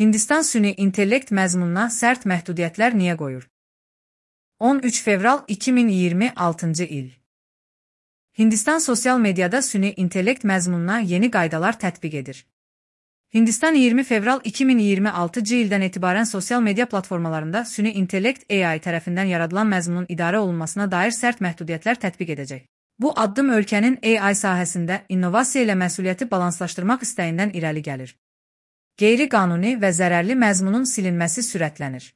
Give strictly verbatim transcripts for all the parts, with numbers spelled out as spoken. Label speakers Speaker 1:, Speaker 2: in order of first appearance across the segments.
Speaker 1: Hindistan süni intellekt məzmununa sərt məhdudiyyətlər niyə qoyur? on üç fevral iki min iyirmi altıncı il. Hindistan sosial mediada süni intellekt məzmununa yeni qaydalar tətbiq edir. Hindistan iyirmi fevral iki min iyirmi altıncı ildən etibarən sosial media platformalarında süni intellekt A I tərəfindən yaradılan məzmunun idarə olunmasına dair sərt məhdudiyyətlər tətbiq edəcək. Bu addım ölkənin A I sahəsində innovasiya ilə məsuliyyəti balanslaşdırmaq istəyindən irəli gəlir. Qeyri-qanuni və zərərli məzmunun silinməsi sürətlənir.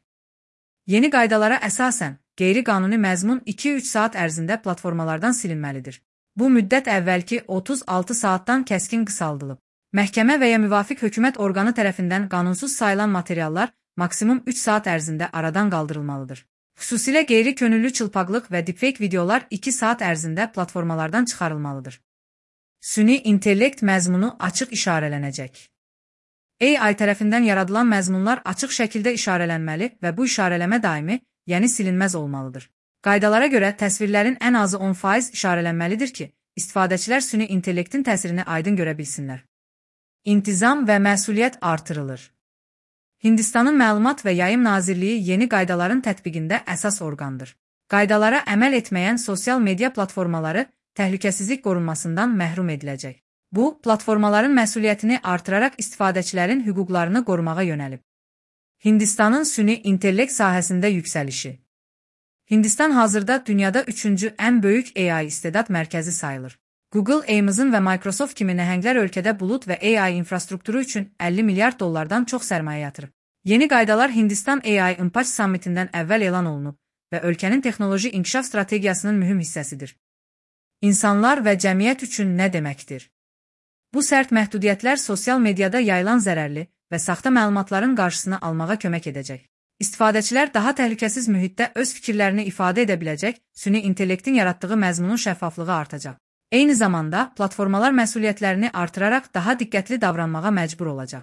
Speaker 1: Yeni qaydalara əsasən, qeyri-qanuni məzmun iki üç saat ərzində platformalardan silinməlidir. Bu müddət əvvəlki otuz altı saatdan kəskin qısaldılıb. Məhkəmə və ya müvafiq hökumət orqanı tərəfindən qanunsuz sayılan materiallar maksimum üç saat ərzində aradan qaldırılmalıdır. Xüsusilə qeyri-könüllü çılpaqlıq və deepfake videolar iki saat ərzində platformalardan çıxarılmalıdır. Süni intellekt məzmunu açıq işarələnəcək. A I tərəfindən yaradılan məzmunlar açıq şəkildə işarələnməli və bu işarələmə daimi, yəni silinməz olmalıdır. Qaydalara görə təsvirlərin ən azı on faiz işarələnməlidir ki, istifadəçilər süni intellektin təsirini aydın görə bilsinlər. İntizam və məsuliyyət artırılır. Hindistanın Məlumat və Yayım Nazirliyi yeni qaydaların tətbiqində əsas orqandır. Qaydalara əməl etməyən sosial media platformaları təhlükəsizlik qorunmasından məhrum ediləcək. Bu, platformaların məsuliyyətini artıraraq istifadəçilərin hüquqlarını qorumağa yönəlib. Hindistanın süni intellekt sahəsində yüksəlişi. Hindistan hazırda dünyada üçüncü ən böyük A I istedad mərkəzi sayılır. Google, Amazon və Microsoft kimi nəhənglər ölkədə bulud və A I infrastrukturu üçün əlli milyard dollardan çox sərmayə yatırıb. Yeni qaydalar Hindistan A I Impact Summitindən əvvəl elan olunub və ölkənin texnoloji inkişaf strategiyasının mühüm hissəsidir. İnsanlar və cəmiyyət üçün nə deməkdir? Bu sərt məhdudiyyətlər sosial mediada yayılan zərərli və saxta məlumatların qarşısını almağa kömək edəcək. İstifadəçilər daha təhlükəsiz mühitdə öz fikirlərini ifadə edə biləcək, süni intellektin yaratdığı məzmunun şəffaflığı artacaq. Eyni zamanda, platformalar məsuliyyətlərini artıraraq daha diqqətli davranmağa məcbur olacaq.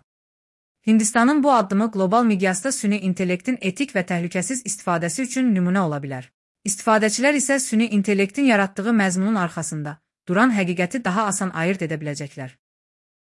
Speaker 1: Hindistanın bu addımı qlobal miqyasda süni intellektin etik və təhlükəsiz istifadəsi üçün nümunə ola bilər. İstifadəçilər isə süni intellektin yaratdığı məzmunun arxasında duran həqiqəti daha asan ayırd edə biləcəklər.